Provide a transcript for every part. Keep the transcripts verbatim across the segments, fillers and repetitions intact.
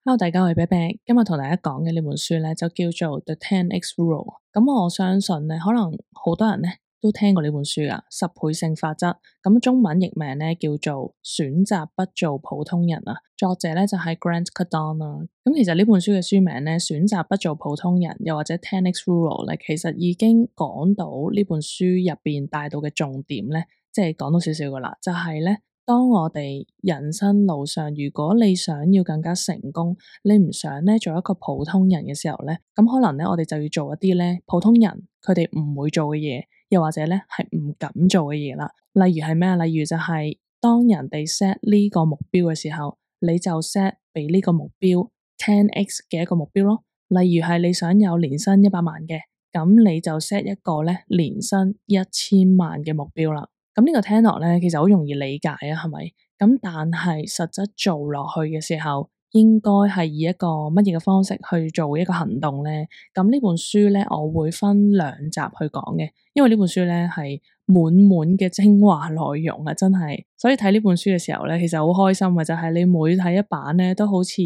Hello，大家好，我係啤啤，今日同大家講嘅呢本書咧就叫做 The ten X Rule。咁我相信咧，可能好多人咧都聽過呢本書噶，十倍性法則。咁中文譯名咧叫做選擇不做普通人啊。作者咧就係 Grant Cardone 啦。咁其實呢本書嘅書名咧，選擇不做普通人，又或者 ten X Rule 咧，其實已經講到呢本書入邊帶到嘅重點咧，即係講到少少噶啦，就係咧。當我哋人生路上，如果你想要更加成功，你唔想咧做一個普通人嘅時候咧，咁可能咧我哋就要做一啲咧普通人佢哋唔會做嘅嘢，又或者咧係唔敢做嘅嘢啦。例如係咩啊？例如就係當人哋 set 呢個目標嘅時候，你就 set 俾呢個目標 ten X 嘅一個目標咯。例如係你想有年薪一百萬嘅，咁你就 set 一個咧年薪一千萬嘅目標啦。咁呢個聽落咧，其實好容易理解啊，係咪？咁但係實質做落去嘅時候，應該係以一個乜嘢嘅方式去做一個行動咧？咁呢本書咧，我會分兩集去講嘅，因為呢本書咧係滿滿嘅精華內容啊，真係。所以睇呢本書嘅時候咧，其實好開心嘅就係你每睇一版咧，都好似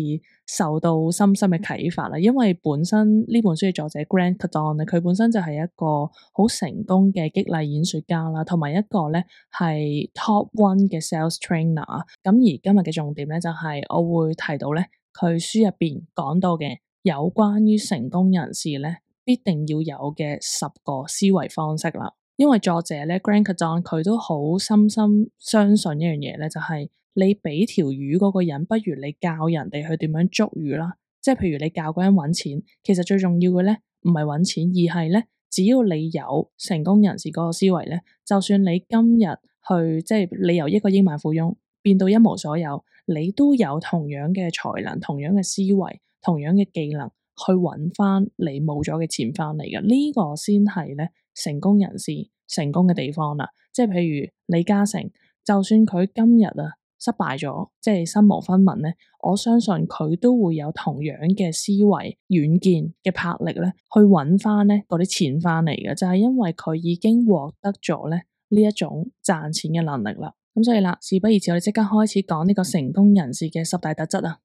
受到深深嘅啟發啦。因為本身呢本書嘅作者 Grant Cardone 咧，佢本身就係一個好成功嘅激勵演說家啦，同埋一個咧係 Top One 嘅 Sales Trainer。咁而今日嘅重點咧，就係我會提到咧佢書入邊講到嘅有關於成功人士咧必定要有嘅十個思維方式啦。因為作者咧 Grant Cardone 佢都好深深相信一樣嘢咧，就係你俾條魚嗰個人，不如你教人哋去點樣捉魚啦。即係譬如你教嗰人搵錢，其實最重要嘅咧唔係搵錢，而係咧只要你有成功人士嗰個思維咧，就算你今日去即係你由一個億萬富翁變到一無所有，你都有同樣嘅才能、同樣嘅思維、同樣嘅技能去搵翻你冇咗嘅錢翻嚟嘅。呢個先係咧成功人士成功嘅地方啦。即係譬如李嘉誠，就算佢今日啊失敗咗，即係身無分文咧，我相信佢都會有同樣嘅思維、遠見嘅魄力咧，去搵翻咧嗰啲錢翻嚟嘅，就係因為佢已經獲得咗咧呢一種賺錢嘅能力啦。咁所以啦，事不宜遲，我哋即刻開始講呢個成功人士嘅十大特質啊。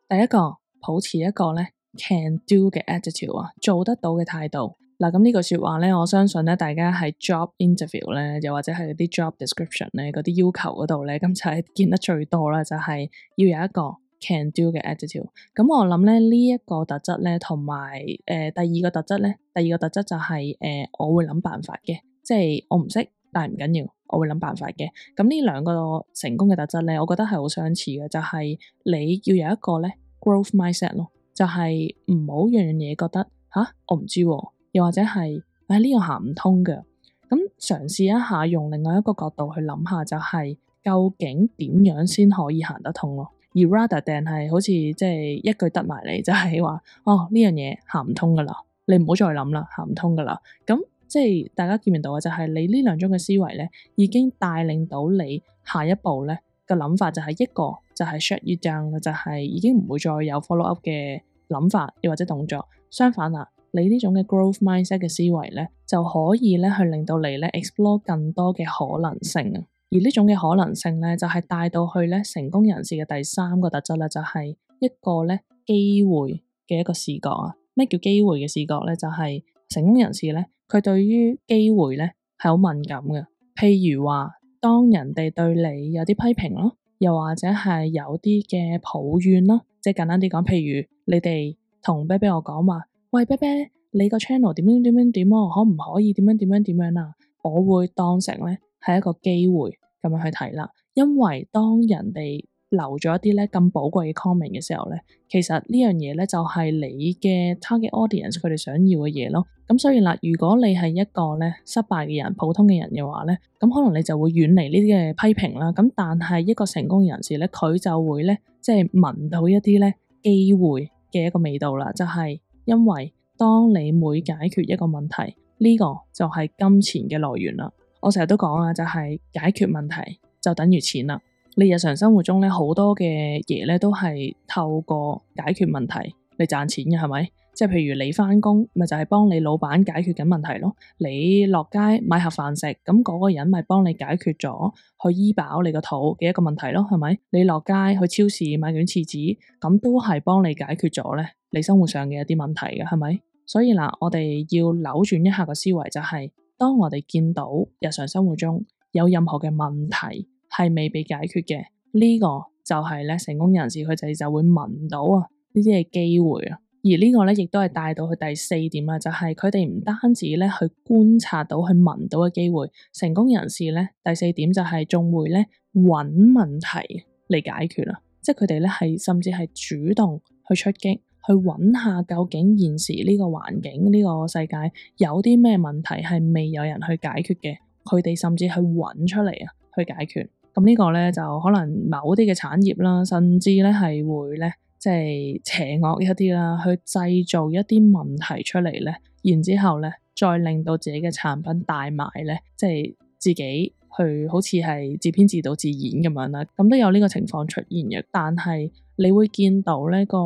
第一個，保持一個咧 can do 嘅 attitude 啊，做得到嘅態度。嗱，咁呢句說話咧，我相信咧，大家喺 job interview 咧，又或者係嗰啲 job description 咧，嗰啲要求嗰度咧，咁就係見得最多啦，就係要有一個 can do 嘅 attitude。咁我諗咧呢一個特質咧，同埋誒第二個特質咧，第二個特質就係誒我會諗辦法嘅，即係我唔識，但係唔緊要，我會諗辦法嘅。咁呢兩個成功嘅特質咧，我覺得係好相似嘅，就係你要有一個咧 growth mindset 咯，就係唔好樣樣嘢覺得吓我唔知喎。又或者係誒呢個行唔通嘅，咁嘗試一下用另外一個角度去諗下，就係究竟點樣先可以行得通咯？而 rather than 係好似即係一句得埋嚟，就係話哦呢樣嘢行唔通噶啦，你唔好再諗啦，行唔通噶啦。咁即係大家見唔見到嘅就係你呢兩種嘅思維咧，已經帶領到你下一步咧嘅諗法就係一個就係 shut you down 啦，就係已經唔會再有 follow up 嘅諗法又或者動作。相反啦，你呢種嘅 growth mindset 嘅思維咧，就可以咧去令到你咧 explore 更多嘅可能性啊！而呢種嘅可能性咧，就係帶到去咧成功人士嘅第三個特質咧，就係一個咧機會嘅一個視覺啊！咩叫機會嘅視覺咧？就係成功人士咧，佢對於機會咧係好敏感嘅。譬如話，當人哋對你有啲批評咯，又或者係有啲嘅抱怨咯，即係簡單啲講，譬如你哋同啤啤我講話，喂啤啤，你個 channel 點樣點樣點啊，可唔可以點樣點樣點樣啊？我會當成咧係一個機會咁樣去睇啦，因為當人哋留咗一啲咧咁寶貴嘅 comment 嘅時候咧，其實呢樣嘢咧就係你嘅 target audience 佢哋想要嘅嘢咯。咁所以啦，如果你係一個咧失敗嘅人、普通嘅人嘅話咧，咁可能你就會遠離呢啲嘅批評啦。咁但係一個成功人士咧，佢就會咧即係聞到一啲咧機會嘅一個味道啦，就係因為當你每解決一個問題，呢個就係金錢嘅來源啦。我成日都講啊，就係解決問題就等於錢啦。你日常生活中咧好多嘅嘢咧都係透過解決問題嚟賺錢嘅，係咪？即係譬如你返工，咪就係幫你老闆解決緊問題咯。你落街買盒飯食，咁嗰個人咪幫你解決咗去醫飽你個肚嘅一個問題咯，係咪？你落街去超市買卷廁紙，咁都係幫你解決咗咧你生活上嘅一啲問題嘅，係咪？所以嗱，我哋要扭轉一下個思維，就係當我哋見到日常生活中有任何嘅問題係未被解決嘅，呢個就係咧成功人士佢哋就會聞到啊呢啲嘅機會啊。而呢個咧，亦都係帶到去第四點啦，就係佢哋唔單止咧去觀察到、去聞到嘅機會，成功人士咧第四點就係仲會咧揾問題嚟解決啦，即係佢哋咧係甚至係主動去出擊，去揾下究竟現時呢個環境、呢個世界有啲咩問題係未有人去解決嘅，佢哋甚至去揾出嚟啊，去解決。咁呢個咧就可能某啲嘅產業啦，甚至咧係會咧。即係邪惡一啲啦，去製造一啲問題出嚟咧，然之後咧，再令到自己嘅產品大賣咧，即係自己去好似係自編自導自演咁樣啦，咁都有呢個情況出現嘅。但係你會見到呢個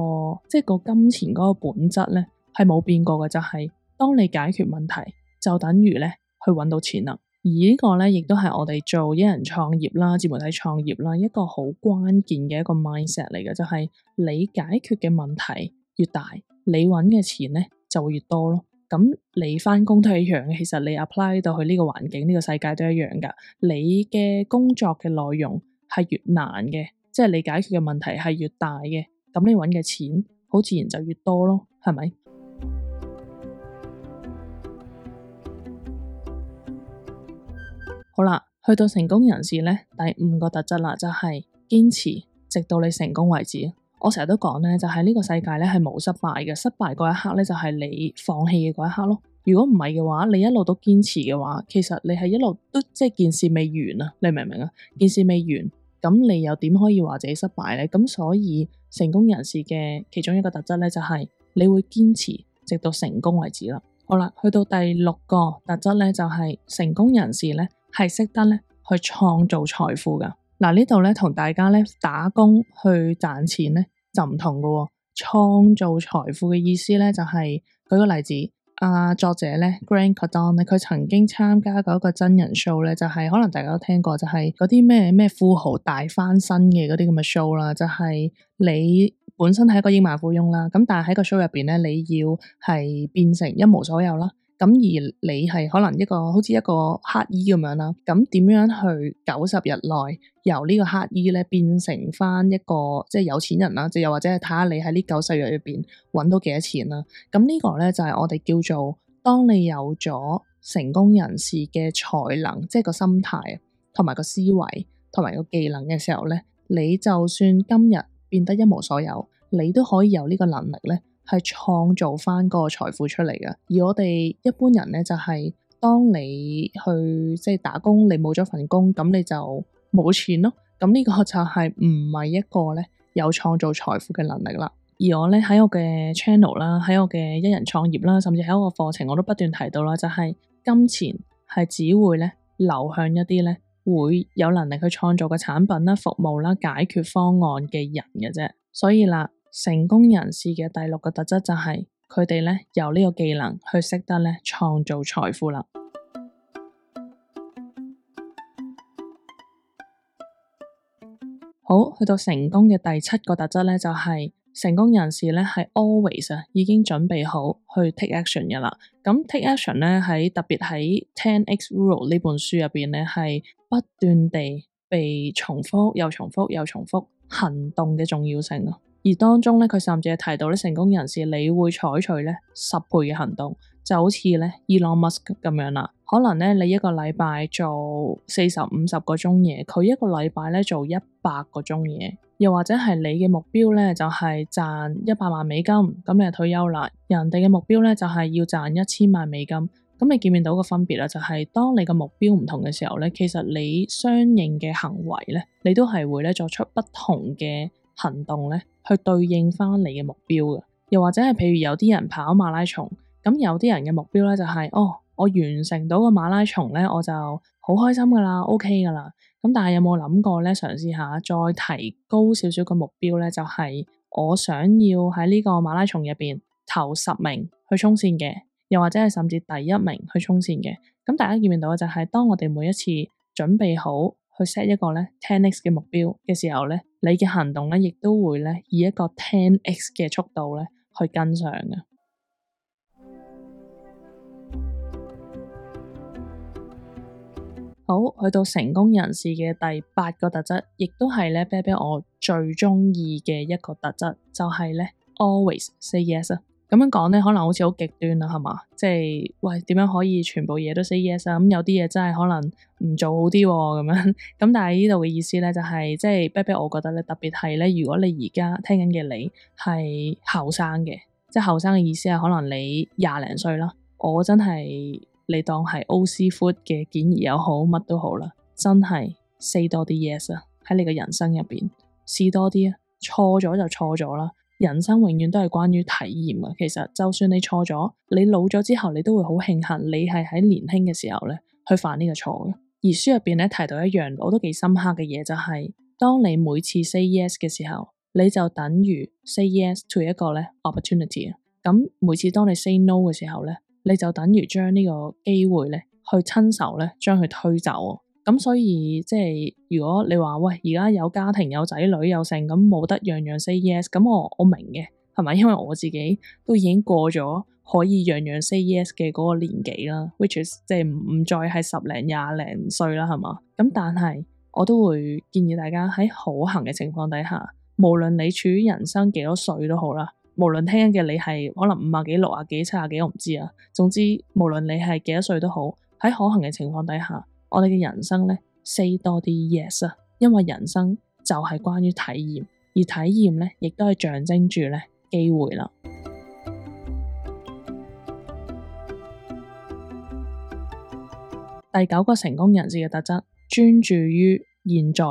即係個金錢嗰個本質咧係冇變過嘅，就係當你解決問題，就等於咧去揾到錢啦。而呢個咧，亦都係我哋做一人創業啦、自媒體創業啦，一個好關鍵嘅一個 mindset 嚟嘅，就係你解決嘅問題越大，你揾嘅錢咧就會越多咯。咁你返工都係一樣嘅，其實你 apply 到去呢個環境、呢個世界都一樣噶。你嘅工作嘅內容係越難嘅，即係你解決嘅問題係越大嘅，咁你揾嘅錢好自然就越多咯，係咪？好啦，去到成功人士咧，第五個特質啦，就係堅持，直到你成功為止。我成日都講咧，就係呢個世界咧係冇失敗嘅，失敗嗰一刻咧就係你放棄嘅嗰一刻咯。如果唔係嘅話，你一路都堅持嘅話，其實你係一路都即係件事未完啊，你明唔明啊？件事未完，咁你又點可以話自己失敗咧？咁所以成功人士嘅其中一個特質咧，就係你會堅持直到成功為止啦。好啦，去到第六個特質咧，就係成功人士咧。係識得咧去創造財富噶。嗱，呢度咧同大家咧打工去賺錢咧就唔同噶喎。創造財富嘅意思咧就係，舉個例子，啊作者咧 Grant Cardone 咧，佢曾經參加過一個真人 show 咧，就係可能大家都聽過，就係嗰啲咩咩富豪大翻身嘅嗰啲咁嘅 show 啦，就係你本身係一個億萬富翁啦，咁但係喺個 show 入邊咧，你要係變成一無所有啦。咁而你係可能一個好似一個乞兒咁樣啦，咁點樣去九十日內由呢個乞兒咧變成翻一個即係有錢人啦？即又或者係睇下你喺呢九十日入邊揾到幾多錢啦？咁呢個咧就係我哋叫做當你有咗成功人士嘅才能，即係個心態同埋個思維同埋個技能嘅時候咧，你就算今日變得一無所有，你都可以有呢個能力咧。係創造翻個財富出嚟嘅，而我哋一般人咧就係、是、當你去即係打工，你冇咗份工，咁你就冇錢咯。咁呢個就係唔係一個咧有創造財富嘅能力啦。而我咧喺我嘅 channel 啦，喺我嘅一人創業啦，甚至喺我個課程，我都不斷提到啦，就係、是、金錢係只會咧流向一啲咧會有能力去創造嘅產品啦、服務啦、解決方案嘅人嘅啫。所以啦。成功人士嘅第六個特質就係佢哋咧有呢個技能去識得咧創造財富啦。好，去到成功嘅第七個特質咧，就係成功人士咧係 always 啊已經準備好去 take action 嘅啦。咁 take action 咧喺特別喺 ten X Rule 呢本書入邊咧係不斷地被重複又重複又重複行動嘅重要性啊。而當中咧，佢甚至係提到咧，成功人士你會採取咧十倍嘅行動，就好似咧 Elon Musk 咁樣啦。可能咧你一個禮拜做四十五十個鐘嘢，佢一個禮拜咧做一百個鐘嘢。又或者係你嘅目標咧就係賺一百萬美金，咁你就退休啦。人哋嘅目標咧就係要賺一千萬美金。咁你見唔見到個分別啦？就係當你嘅目標唔同嘅時候咧，其實你相應嘅行為咧，你都係會咧作出不同嘅行動咧。去對應翻你嘅目標嘅，又或者係譬如有啲人跑馬拉松，咁有啲人嘅目標咧就係、是、哦，我完成到個馬拉松咧，我就好開心噶啦 ，OK 噶啦。咁但係有冇諗過咧，嘗試下再提高少少個目標咧，就係、是、我想要喺呢個馬拉松入邊頭十名去衝線嘅，又或者係甚至第一名去衝線嘅。咁大家見唔見到就係當我哋每一次準備好去 set 一個咧 ten x 嘅目標嘅時候咧，你嘅行動咧亦都會咧以一個 ten x 嘅速度咧去跟上嘅。好，去到成功人士嘅第八個特質，亦都係咧啤啤我最中意嘅一個特質，就係咧 always say yes 啊。咁樣講咧，可能好似好極端啦，係嘛？即係喂，點樣可以全部嘢都 say yes 啊？咁有啲嘢真係可能唔做好啲咁樣。咁但係呢度嘅意思咧，就係即係啤啤，我覺得咧特別係咧，如果你而家聽緊嘅你係後生嘅，即係後生嘅意思係可能你廿零歲啦，我真係。你當係 O C Food 嘅建議又好，乜都好啦，真係 say 多啲 yes 啊！喺你嘅人生入邊試多啲啊，錯咗就錯咗啦。人生永遠都係關於體驗啊。其實就算你錯咗，你老咗之後，你都會好慶幸你係喺年輕嘅時候咧去犯呢個錯嘅。而書入邊咧提到一樣我都幾深刻嘅嘢，就係當你每次 say yes 嘅時候，你就等於 say yes to 一個咧 opportunity 啊。咁每次當你 say no 嘅時候咧，你就等於將呢個機會咧，去親手咧將佢推走。咁所以即係如果你話喂，而家有家庭有仔女有剩，咁冇得樣樣 say yes，咁我我明嘅，係咪？因為我自己都已經過咗可以樣樣 say yes 嘅嗰個年紀啦，which is 即係唔再係十零廿零歲啦，係嘛？咁但係我都會建議大家喺可行嘅情況底下，無論你處於人生幾多歲都好啦。無論聽緊嘅你係可能五啊幾、六啊幾、七啊幾，我唔知啊。總之，無論你係幾多歲都好，喺可行嘅情況底下，我哋嘅人生咧 say 多啲 yes 啊，因為人生就係關於體驗，而體驗咧亦都係象徵住咧機會啦。第九個成功人士嘅特質，專注於現在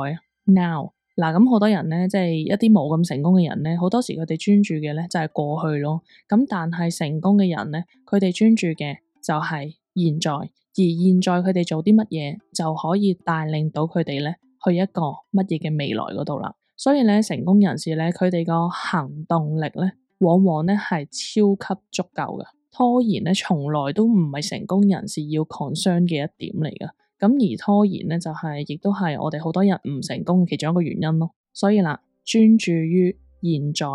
now。嗱，咁好多人咧，即係一啲冇咁成功嘅人咧，好多時佢哋專注嘅咧就係過去咯。咁但係成功嘅人咧，佢哋專注嘅就係現在，而現在佢哋做啲乜嘢就可以帶領到佢哋咧去一個乜嘢嘅未來嗰度啦。所以咧，成功人士咧，佢哋個行動力咧，往往咧係超級足夠嘅。拖延咧，從來都唔係成功人士要 concern 嘅一點嚟㗎。咁而拖延咧，就係、是、亦都係我哋好多人唔成功嘅其中一個原因咯。所以啦，專注於現在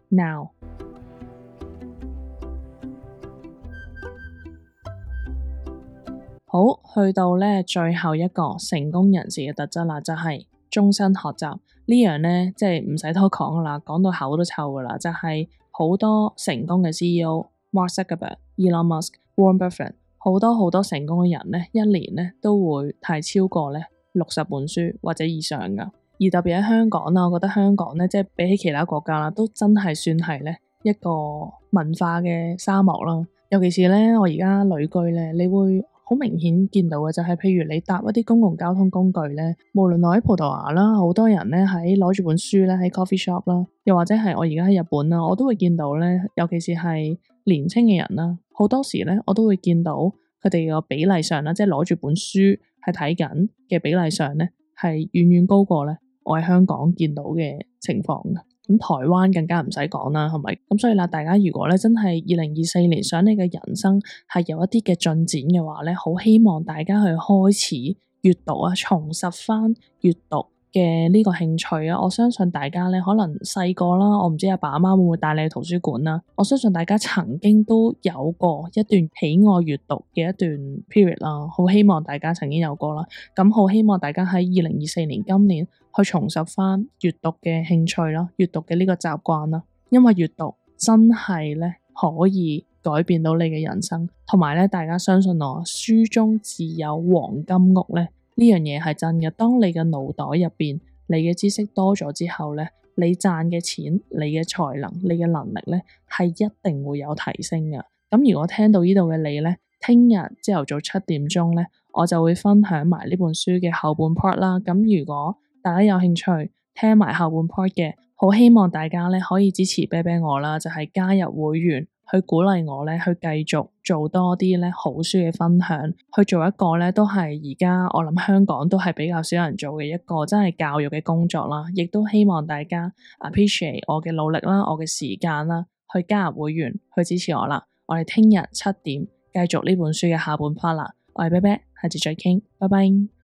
now。好，去到咧最後一個成功人士嘅特質啦，就係、是、終身學習呢樣咧，即係唔使多講噶啦，講到口都臭噶啦，就係、是、好多成功嘅 C E O，Mark Zuckerberg、Elon Musk、Warren Buffett。好多好多成功嘅人咧，一年咧都會睇超過咧六十本書或者以上噶。而特別喺香港啦，我覺得香港咧，即係比起其他國家啦，都真係算係咧一個文化嘅沙漠啦。尤其是咧，我而家旅居咧，你會好明顯見到嘅就係，譬如你搭一啲公共交通工具咧，無論我喺葡萄牙啦，好多人咧喺攞住本書咧喺 coffee shop 啦，又或者係我而家喺日本啦，我都會見到咧，尤其是係年輕嘅人啦，好多時咧我都會見到佢哋個比例上啦，即係攞住本書係睇緊嘅比例上咧，係遠遠高過咧我喺香港見到嘅情況嘅。咁台灣更加唔使講啦，係咪？咁所以啦，大家如果咧真係二零二四年想你嘅人生係有一啲嘅進展嘅話咧，好希望大家去開始閱讀啊，重拾翻閱讀嘅呢個興趣啊。我相信大家咧可能細個啦，我唔知阿爸阿媽會唔會帶你去圖書館啦。我相信大家曾經都有過一段喜愛閱讀嘅一段 period 啦，好希望大家曾經有過啦。咁好希望大家喺二零二四年今年去重拾翻閱讀嘅興趣啦，閱讀嘅呢個習慣啦，因為閱讀真係咧可以改變到你嘅人生，同埋咧大家相信我，書中自有黃金屋咧，呢樣嘢係真嘅。當你嘅腦袋入邊你嘅知識多咗之後咧，你賺嘅錢、你嘅才能、你嘅能力咧係一定會有提升嘅。咁如果聽到呢度嘅你咧，聽日朝頭早七點鐘咧，我就會分享埋呢本書嘅後半 part 啦。咁如果大家有興趣聽埋後半 part 嘅，好希望大家咧可以支持啤啤我啦，就係加入會員去鼓勵我咧去繼續做多啲咧好書嘅分享，去做一個咧都係而家我諗香港都係比較少人做嘅一個真係教育嘅工作啦。亦都希望大家 appreciate 我嘅努力啦，我嘅時間啦，去加入會員去支持我啦。我哋聽日七點繼續呢本書嘅下半 part 啦。我係啤啤，下次再傾，拜拜。